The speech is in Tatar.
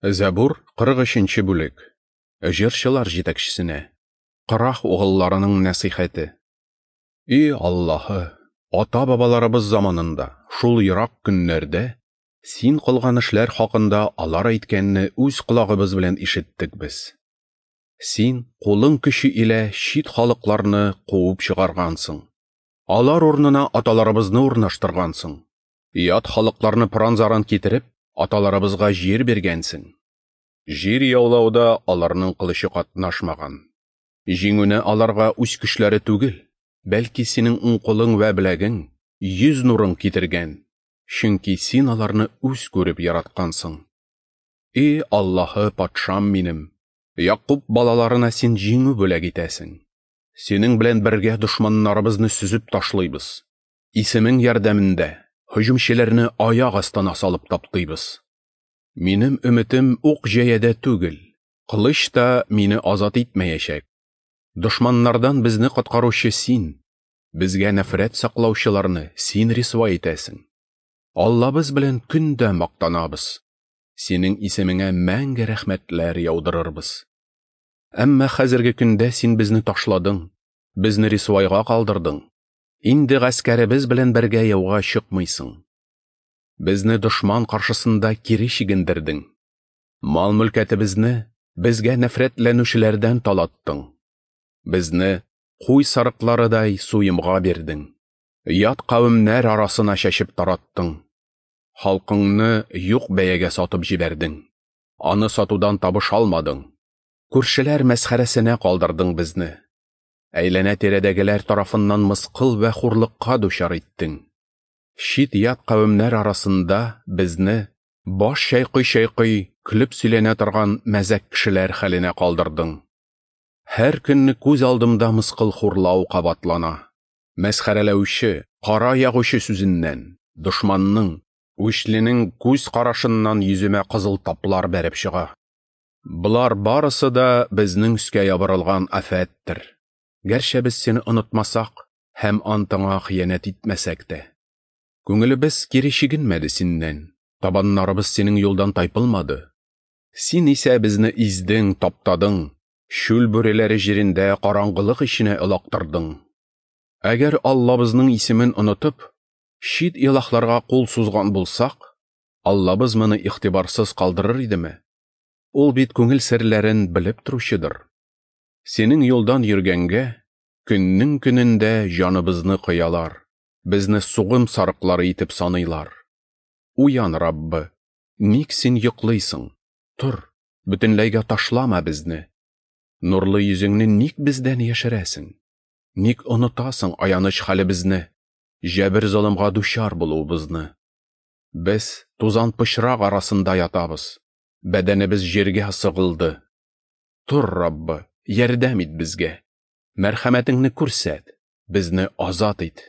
Зәбур, 43 нче бүлек. Җырчылар җитәкчесенә. Корах угылларының нәсыйхәте. И Аллаһы, ата-бабаларыбыз заманында, шул ерак көннәрдә, Син кылган эшләр хакында алар әйткәнне үз колагыбыз белән ишеттек без. Син кулың көче илә чит халыкларны куып чыгаргансың. Алар урынына аталарыбызны урнаштыргансың. Ят халыкларны пыран-заран китереп, аталарыбызга җир биргәнсең. Җир яулауда аларның кылычы катнашмаган. Җиңүне аларга үз көчләре түгел, бәлки синең уң кулың вә беләгең, йөз нурың китергән, чөнки син аларны үз күреп яраткансың. И Аллаһы патшам минем, Якуб балаларына син җиңү бүләк итәсең. Синең белән бергә дошманнарыбызны сөзеп ташлыйбыз. Исемең ярдәмендә һөҗүмчеләрне аяк астына салып таптыйбыз. Минем өметем ук җәядә түгел, кылыч та мине азат итмәячәк. Дошманнардан безне коткаручы син, безгә нәфрәт саклаучыларны син рисвай итәсең. Аллабыз белән көн дә мактанабыз. Синең исемеңә мәңге рәхмәтләр яудырырбыз. Әмма хәзерге көндә син безне ташладың, безне рисвайга калдырдың. Инде гаскәребез белән бергә яуга чыкмыйсың. Безне дошман каршысында кире чигендердең. Мал-мөлкәтебезне безгә нәфрәтләнүчеләрдән талаттың. Безне куй сарыкларыдай суемга бирдең. Ят кавемнәр арасына чәчеп тараттың. Халкыңны юк бәягә сатып җибәрдең. Аны сатудан табыш алмадың. Күршеләр мәсхәрәсенә калдырдың безне. Әйләнә-тирәдәгеләр тарафыннан мыскыл вә хурлыкка дучар иттең. Чит-ят кавемнәр арасында безне баш чайкый-чайкый көлеп сөйләнә торган мәзәк кешеләр хәленә калдырдың. Һәр көнне күз алдымда мыскыл хурлау кабатлана. Мәсхәрәләүче, кара ягучы сүзеннән, дошманның, үчленең күз карашыннан йөземә кызыл таплар бәреп чыга. Болар барысы да безнең өскә ябырылган афәттер. Гәрчә без сине онытмасак һәм антыңа хыянәт итмәсәк тә. Күңелебез кире чигенмәде синнән, табаннарыбыз синең юлдан тайпылмады. Син исә безне издең, таптадың, чүл бүреләре җирендә караңгылык эченә олактырдың. Әгәр Аллабызның исемен онытып, чит илаһларга кул сузган булсак, Аллабыз моны игътибарсыз калдырыр идеме? Ул бит күңел серләрен белеп торучыдыр. Синең юлдан йөргәнгә, көннең көнендә җаныбызны кыялар, безне сугым сарыклары итеп саныйлар. Уян, Раббы, ник син йоклыйсың? Тор, бөтенләйгә ташлама безне. Нурлы йөзеңне ник бездән яшерәсең? Ник онытасың аяныч хәлебезне, җәбер-золымга дучар булуыбызны? Без тузан пычрак арасында ятабыз, бәдәнебез җиргә сыгылды. Тор, Раббы, ярдәм ит безгә. Мәрхәмәтеңне күрсәт, безне азат ит.